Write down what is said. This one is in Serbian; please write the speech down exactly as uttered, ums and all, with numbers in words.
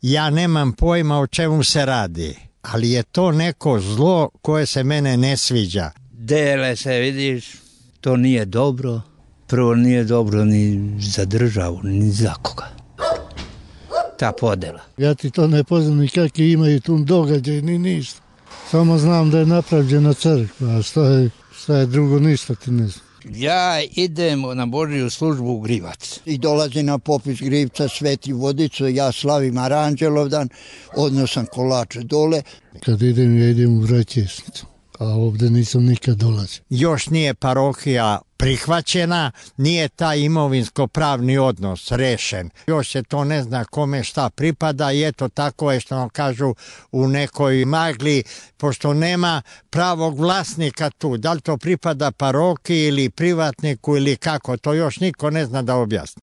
Ja nemam pojma o čemu se radi, ali je to neko zlo koje se mene ne sviđa. Dele se, vidiš, to nije dobro. Prvo nije dobro ni za državu, ni za koga. Ta podela. Ja ti to ne poznam ni kakvi imaju tu događaj, ni ništa. Samo znam da je napravljena crkva, a šta je, šta je drugo, ništa ti ne znam. Ja idem na Božju službu u Grivac. I dolazi na popis Grivca Sveti Vodicu, ja slavim Aranđelovdan, odnosam kolače dole. Kad idem, ja idem u Vraćesnicu, a ovdje nisam nikad dolazio. Još nije parohija prihvaćena, nije taj imovinsko-pravni odnos rešen. Još se to ne zna kome šta pripada i eto tako je što nam kažu u nekoj magli, pošto nema pravog vlasnika tu. Da li to pripada parohiji ili privatniku ili kako, to još niko ne zna da objasni.